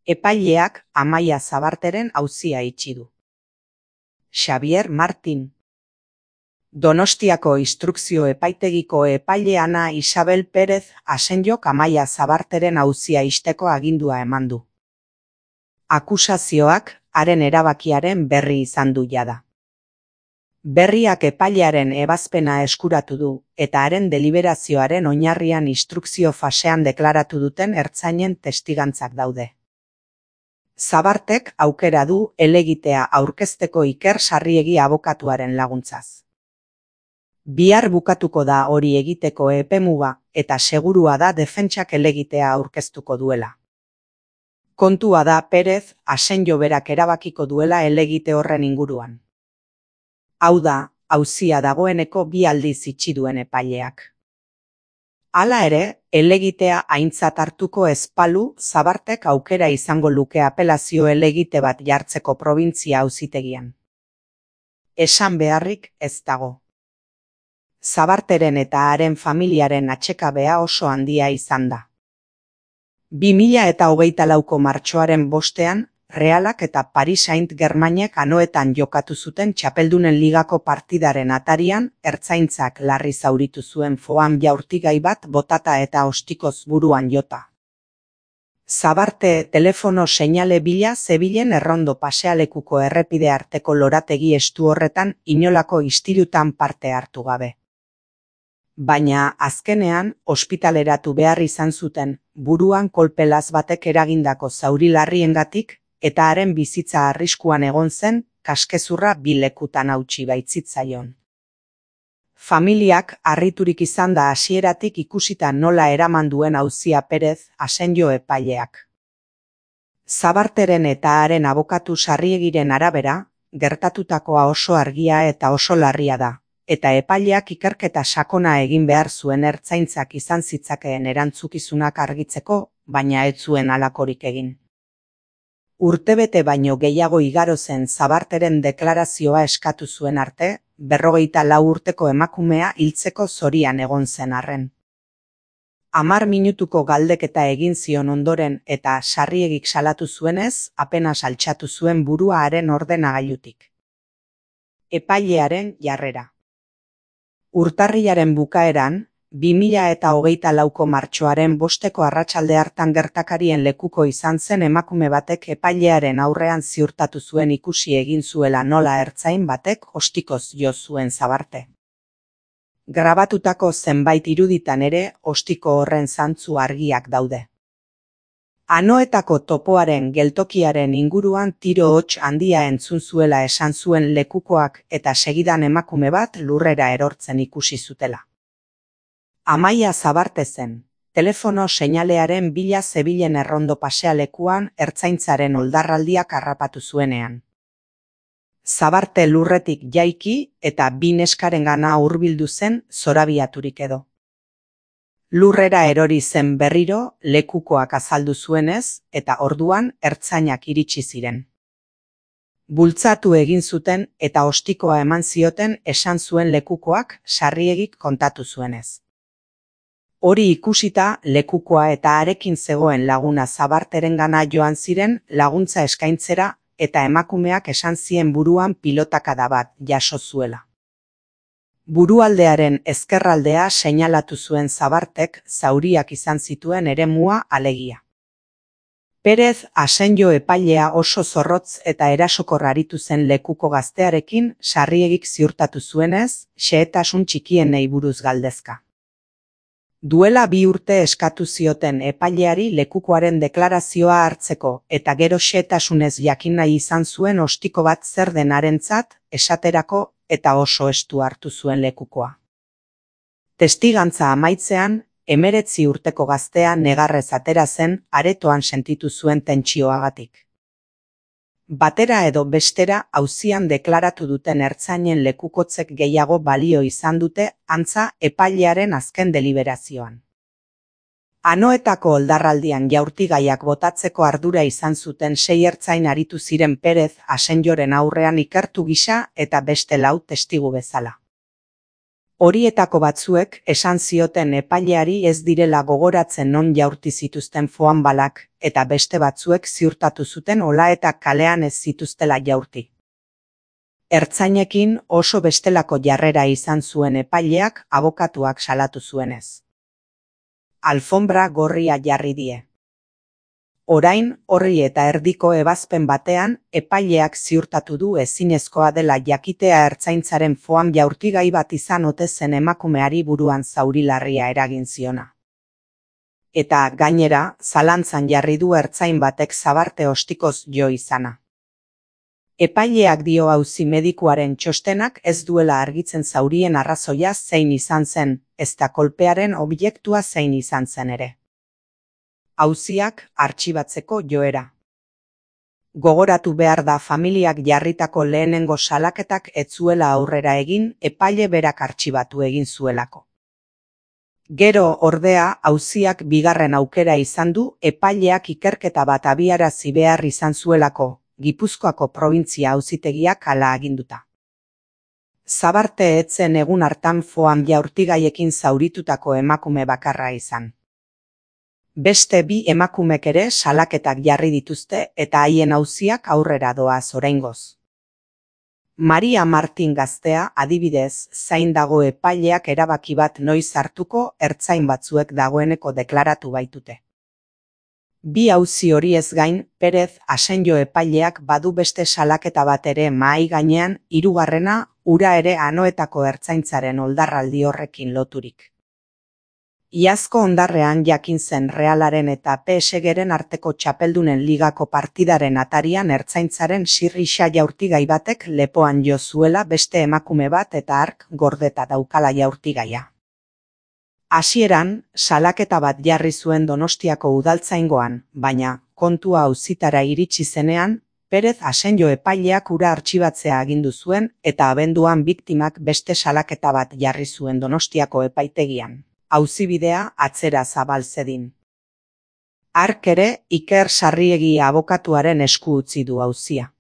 Epaileak Amaia Zabarteren auzia itxi du. Xabier Martin. Donostiako Instrukzio Epaitegiko epaile Ana Isabel Pérez Asenjok Amaia Zabarteren auzia ixteko agindua eman du. Akusazioak haren erabakiaren berri izan du jada. Berriak epailearen ebazpena eskuratu du eta haren deliberazioaren oinarrian instrukzio fasean deklaratu duten ertzainen testigantzak daude. Zabartek aukera du helegitea aurkezteko Iker Sarriegi abokatuaren laguntzaz. Bihar bukatuko da hori egiteko epemuga eta segurua da defentsak helegitea aurkeztuko duela. Kontua da Pérez Asenjo berak erabakiko duela helegite horren inguruan. Hau da, auzia dagoeneko 2 aldiz itxi duen epaileak. Hala ere, helegitea aintzat hartuko ez balu, Zabartek aukera izango luke apelazio helegite bat jartzeko probintzia auzitegian. Esan beharrik ez dago. Zabarteren eta haren familiaren atsekabea oso handia izan da. 2024ko martxoaren 5ean, Realak eta Paris Saint-Germainek anoetan jokatu zuten Txapeldunen Ligako partidaren atarian, ertzaintzak larri zauritu zuen foam jaurtigai bat botata eta ostikoz buruan jota. Zabarte telefono seinale bila zebilen errondo pasealekuko errepide arteko lorategi estu horretan inolako istilutan parte hartu gabe. Baina, azkenean, ospitaleratu behar izan zuten, buruan kolpelaz batek eragindako zauri larriengatik, eta haren bizitza arriskuan egon zen, kaskezurra 2 lekutan hautsi baitzitzaion. Familiak harriturik izan da hasieratik ikusita nola eraman duen auzia Pérez Asenjo epaileak. Zabarteren eta haren abokatu Sarriegiren arabera, gertatutakoa oso argia eta oso larria da, eta epaileak ikerketa sakona egin behar zuen ertzaintzak izan zitzakeen erantzukizunak argitzeko, baina ez zuen halakorik egin. Urtebete baino gehiago igaro zen Zabarteren deklarazioa eskatu zuen arte, 54 urteko emakumea hiltzeko zorian egon zen arren. 10 minutuko galdeketa egin zion ondoren eta Sarriegik salatu zuenez, apenas altxatu zuen burua haren ordenagailutik. Epailearen jarrera. Urtarrilaren bukaeran, 2024ko martxoaren 5eko arratsalde hartan gertakarien lekuko izan zen emakume batek epailearen aurrean ziurtatu zuen ikusi egin zuela nola ertzain batek ostikoz jo zuen Zabarte. Grabatutako zenbait iruditan ere ostiko horren zantzu argiak daude. Anoetako topoaren geltokiaren inguruan tiro hots handia entzun zuela esan zuen lekukoak eta segidan emakume bat lurrera erortzen ikusi zutela. Amaia Zabarte zen, telefono seinalearen bila zebilen errondo pasealekuan ertzaintzaren oldarraldiak harrapatu zuenean. Zabarte lurretik jaiki eta 2 neskarengana hurbildu zen zorabiaturik edo. Lurrera erori zen berriro lekukoak azaldu zuenez eta orduan ertzainak iritsi ziren. Bultzatu egin zuten eta ostikoa eman zioten esan zuen lekukoak Sarriegik kontatu zuenez. Hori ikusita lekukoa eta harekin zegoen laguna Zabarterengana joan ziren laguntza eskaintzera eta emakumeak esan zien buruan pilotakada bat jaso zuela. Burualdearen ezkerraldea seinalatu zuen Zabartek zauriak izan zituen eremua alegia. Pérez Asenjo epailea oso zorrotz eta erasokor aritu zen lekuko gaztearekin Sarriegik ziurtatu zuenez, xehetasun txikienei buruz galdezka. Duela 2 urte eskatu zioten epaileari lekukoaren deklarazioa hartzeko eta gero xehetasunez jakin nahi izan zuen ostiko bat zer den harentzat, esaterako eta oso estu hartu zuen lekukoa. Testigantza amaitzean, 19 urteko gaztea negarrez atera zen aretoan sentitu zuen tentsioagatik. Batera edo bestera auzian deklaratu duten ertzainen lekukotzek gehiago balio izan dute antza epailearen azken deliberazioan. Anoetako oldarraldian jaurtigaiak botatzeko ardura izan zuten 6 ertzain aritu ziren Pérez Asenjoren aurrean ikertu gisa eta beste 4 testigu bezala. Horietako batzuek esan zioten epaileari ez direla gogoratzen non jaurti zituzten foambalak, eta beste batzuek ziurtatu zuten Ola eta kalean ez zituztela jaurti. Ertzainekin oso bestelako jarrera izan zuen epaileak abokatuak salatu zuenez. Alfonbra gorria jarri die. Orain, horri eta erdiko ebazpen batean, epaileak ziurtatu du ezinezkoa dela jakitea ertzaintzaren foam jaurtigai bat izan ote zen emakumeari buruan zauri larria eragin ziona. Eta, gainera, zalantzan jarri du ertzain batek zabarte ostikoz jo izana. Epaileak dio auzi medikuaren txostenak ez duela argitzen zaurien arrazoia zein izan zen, ezta kolpearen objektua zein izan zen ere. Auziak artxibatzeko joera. Gogoratu behar da familiak jarritako lehenengo salaketak ez zuela aurrera egin epaile berak artxibatu egin zuelako. Gero, ordea, auziak bigarren aukera izan du epaileak ikerketa bat abiarazi behar izan zuelako, Gipuzkoako probintzia auzitegiak hala aginduta. Zabarte ez zen egun hartan foam jaurtigaiekin zauritutako emakume bakarra izan. Beste bi emakumek ere salaketak jarri dituzte eta haien auziak aurrera doaz oraingoz. Maria Martin gaztea adibidez zain dago epaileak erabaki bat noiz hartuko ertzain batzuek dagoeneko deklaratu baitute. Bi auzi horiez gain, Perez Asenjo epaileak badu beste salaketa bat ere mahai gainean, hirugarrena ura ere Anoetako ertzaintzaren oldarraldi horrekin loturik. Iazko ondarrean jakin zen Realaren eta PSG-ren arteko txapeldunen ligako partidaren atarian ertzaintzaren sirrisa jaurtigai batek lepoan jo zuela beste emakume bat eta hark gordeta daukala jaurtigaia. Hasieran, salaketa bat jarri zuen Donostiako udaltzaingoan, baina, kontua auzitara iritsi zenean, Perez Asenjo epaileak ura artxibatzea agindu zuen eta abenduan biktimak beste salaketa bat jarri zuen Donostiako epaitegian. Auzibidea atzera zabal zedin. Hark ere Iker Sarriegi abokatuaren esku utzi du auzia.